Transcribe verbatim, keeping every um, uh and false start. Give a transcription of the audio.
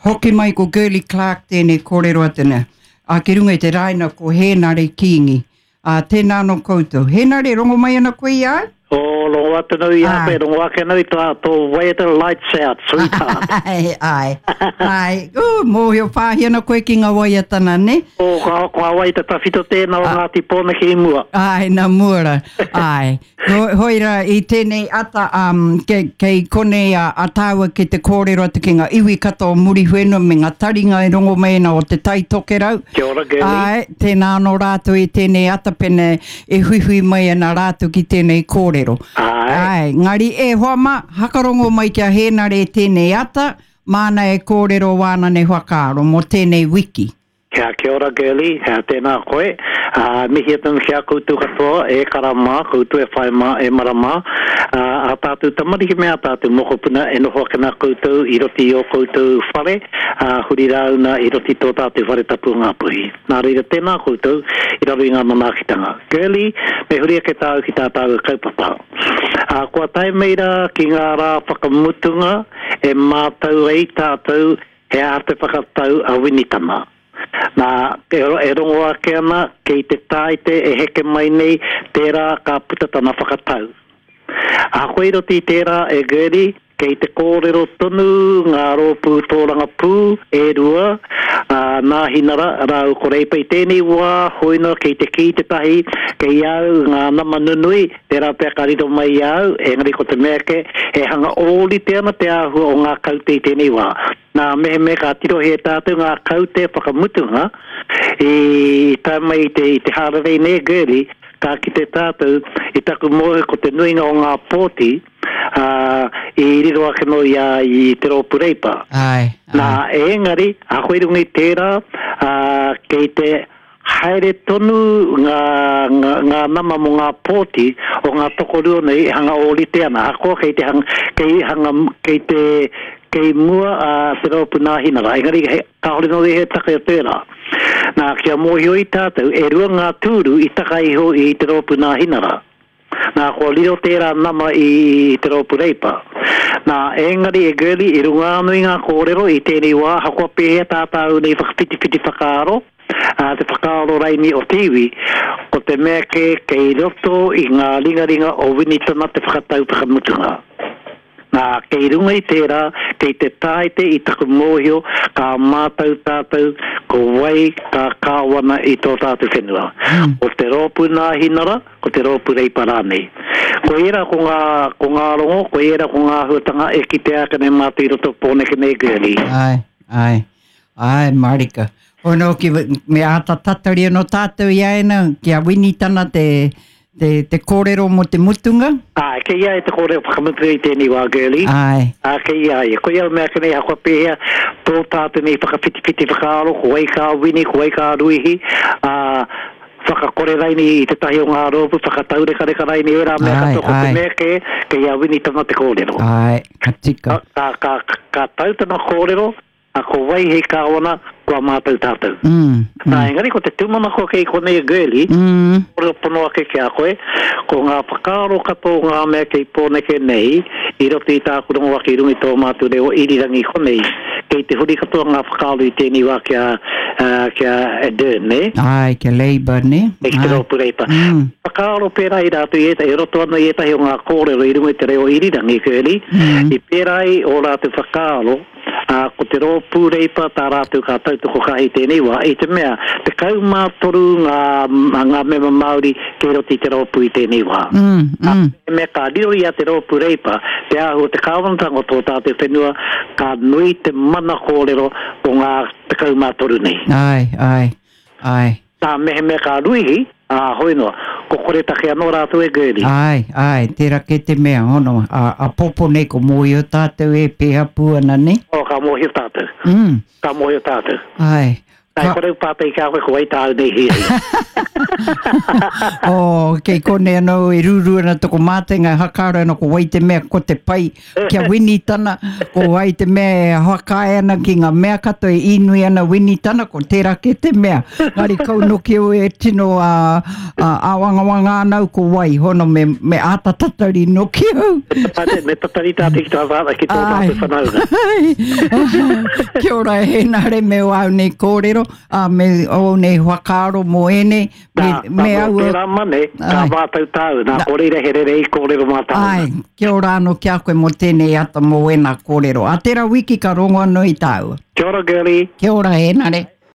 Hoki mai ko Girlie Clark tēnei kōrero atu nei. A ki runga i te raina ko Hēnare Kīngi. A tēnā anō koutou. Hēnare, rongo mai ana koe i a au? O, rongo atu nau i a koe, rongo ake nau i tō, tō waiata Lights Out, sweetheart. Ai, ai, ai. Ū, mōhio whāhi ana koe ki ngā waiata nā, ne? O, ko, ko ngā waiata tawhito tēnā o Ngāti Pōneke i mua. Ai, nā mua rā. Ai. Ho, hoi rā, i tēnei ata, um, kei, kei konei a, a tāua ki te kōrero atu ki ngā iwi katoa o Muriwhenua me ngā taringa e rongo mai ana o Te Tai Tokerau. Kia ora, Girlie. Ai, tēnā anō rātou i tēnei ata pene e huihui mai ana rātou ki tēnei kōrero. Ai. Ai, ngari e hoa mā, hakarongo mai ki a Hēnare tēnei ata, māna e kōrero wāna nei whakaaro mō tēnei wiki. Kia, kia ora, Girlie, uh, tēnā koe. Uh, mihi atu ki a koutou katoa, e kara mā, koutou e whai mā, e mara mā. Uh, a tātou tamariki me a tātou mokopuna e noho ake nā koutou i roto i ō koutou whare, uh, huri rāuna i roto i tō tātou whare tapu o Ngāpuhi. Nā reira, tēnā koutou i raro i ngā manaakitanga. Girlie, me huri ake tāu ki tā tāua kaupapa. Uh, kua tae mai rā ki ngā rā whakamutunga e mātau ai tātou he aha te whakatau a Winitana. Nā, e, e rongo ake ana, kei te tāite e heke mai nei, tērā ka puta tana whakatau. Ahakoa i roto i tērā e Gertie, kei te kōrero tonu ngā rōpū tōrangapū e rua, a Nāhinara rāua ko Reipa i tēnei wā, hoi noa kei te kī tētahi, kei a au ngā nama nunui, tērā pea ka riro mai i a au, engari ko te mea kē, he hanga ōrite ana te āhua o ngā kaute i tēnei wā. Nā, mehemea ka tirohia e tātou ngā kaute whakamutunga i tae mai i te, i te hārarei nei, Girlie, ka kite tātou i taku mōhio ko te nuinga o ngā pōti, ā, i riro ake nō i a, i te rōpū Reipa. Āe, āe. Nā, engari, ahakoa i runga i tērā, ā, kei te haere tonu ngā, ngā, ngā nama mō ngā pōti o ngā tokorua nei e hanga ōrite ana, ahakoa kei te hanga, kei hanga, kei te, kei mua a Te Rōpū Nāhinara, engari he, kāore nō he take o tērā. Nā, kia mōhio ai tātou, e rua ngā tūru i taka iho i Te Rōpū Nāhinara. Nā, kua riro tērā nama i te rōpū Reipa. Nā, engari e Girlie, i runga anō i ngā kōrero i tēnei wā, ahakoa pēhea tā tāu nei whakawhitiwhiti whakaaro, ā, te whakaaro raini o te iwi, ko te mea kē kei roto i ngā ringaringa o Winitana te whakatau whakamutunga. Nā, kei runga i tērā, kei te tāite i taku mōhio ka mātau tātou ko wai ka kāwana i tō tātou whenua. Ko te Rōpū Nāhinara, ko te Rōpū Reipa rānei. Ko ērā ko ngā, ko ngā rongo, ko ērā ko ngā āhuatanga e kitea ake nei mātou i roto o Pōneke nei, Girlie. Āe, āe, āe, mārika. Hono ki, me āta tatari anō tātou i a ēnā, ki a Winitana te, te, te kōrero mō te mutunga? Āe, kei a ia te kōrero whakamutunga i tēnei wā, Girlie. Āe. Ā, kei a ia. Koia au mea ake nei, ahakoa pēhea tō tātou nei whakawhitiwhiti whakaaro, ko wai ka wini, ko wai ka ruihi, ā, whakakore raini i tētahi o ngā rōpū, whakataurekareka raini ērā mea Āe, katoa, ko te āe. mea kē, kei a Winitana te kōrero. Āe, ka tika. Ka, ka, ka, ka tau tana kōrero, A ko wai hei kāwana, kua mātau tātou. Mm, mm. Nā, engari ko te tūmanako kei konei a Girlie, mm. kōrero pono ake ki a koe, ko ngā whakaaro katoa o ngā mea kei Pōneke nei, i roto i tāku rongo ake i runga i tō mātou reo irirangi konei, kei te huri katoa ngā whakaaro i tēnei wā ki a, uh, ki a Ardern, nē? Āe, ki a Labour, nē? Ki te rōpū Reipa. Mm. Whakaaro pērā i rātou i ētahi, e roto ana i ētahi o ngā kōrero i runga i te reo irirangi, Girlie, mm. i pērā ai ō rātou whakaaro, ā, ko te Rōpū Reipa tā rātou ka tautoko kaha i tēnei wā, i te mea, tekau mā toru ngā, ngā mema Māori kei roto i te rōpū i tēnei wā. Mm, Ā, mm. mehemea ka riro i a te Rōpū Reipa te āhua o te kāwanatanga o tō tātou whenua, ka nui te mana kōrero o ngā tekau mā toru nei. Āe, āe, āe. Nā, mehemea ka ruihi, ā, hoi noa, ko koretake anō rātou e Girlie. Āe, āe, tērā kē te mea, hono, ā, āpōpō nei ko mōhio tātou e pēha pū ana, nē? Oh, ka mōhio tātou. Mm. Ka mōhio tātou. Āe. Ai, kore pātai ki a koe, ko wai tāu nei hiahia. Oh, kei konei anō e rūrū ana toko mātenga e hakaaro ana ko wai te mea ko te pai kia Winitana, ko wai te mea e whakaae ana ki ngā mea katoa e inui ana Winitana, ko tērā kē te mea. Ngari kau noki au e tino a, a, āwangawanga ana au ko wai, hono me, me āta tatari noki au. Me tatari tātou ki tō ki tō tātou whanaunga. Kia ora e Henare me o au nei kōrero, a me o nei whakaaro mō ēnei, me, Nā, me nā, aua... tērā mane, ka Ai. mātau tāu, nā, ko reira he rere i kōrero mā tāu. Ai, kia ora anō ki a koe mō tēnei ata mō wēnā kōrero. A tērā wiki ka rongo anō i tāua. Kia ora, girlie. Kia ora, Henare.